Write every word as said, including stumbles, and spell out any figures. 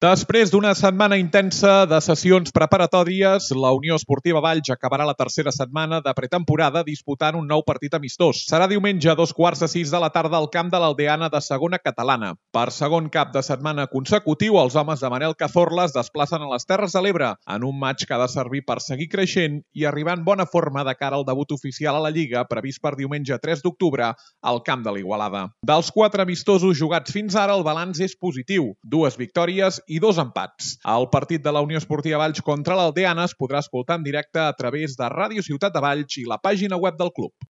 Després d'una setmana intensa de sessions preparatòries, la Unió Esportiva Valls acabarà la tercera setmana de pretemporada disputant un nou partit amistós. Serà diumenge a dos quarts de sis de la tarda al camp de l'Aldeana de segona catalana. Per segon cap de setmana consecutiu, els homes de Manel Cazorla es desplacen a les Terres de l'Ebre en un maig que ha de servir per seguir creixent i arribar en bona forma de cara al debut oficial a la Lliga previst per diumenge tres d'octubre al camp de l'Igualada. Dels quatre amistosos jugats fins ara, el balanç és positiu. Dues victòries i dos empats. El partit de la Unió Esportiva Valls contra l'Aldeana es podrà escoltar en directe a través de Ràdio Ciutat de Valls i la pàgina web del club.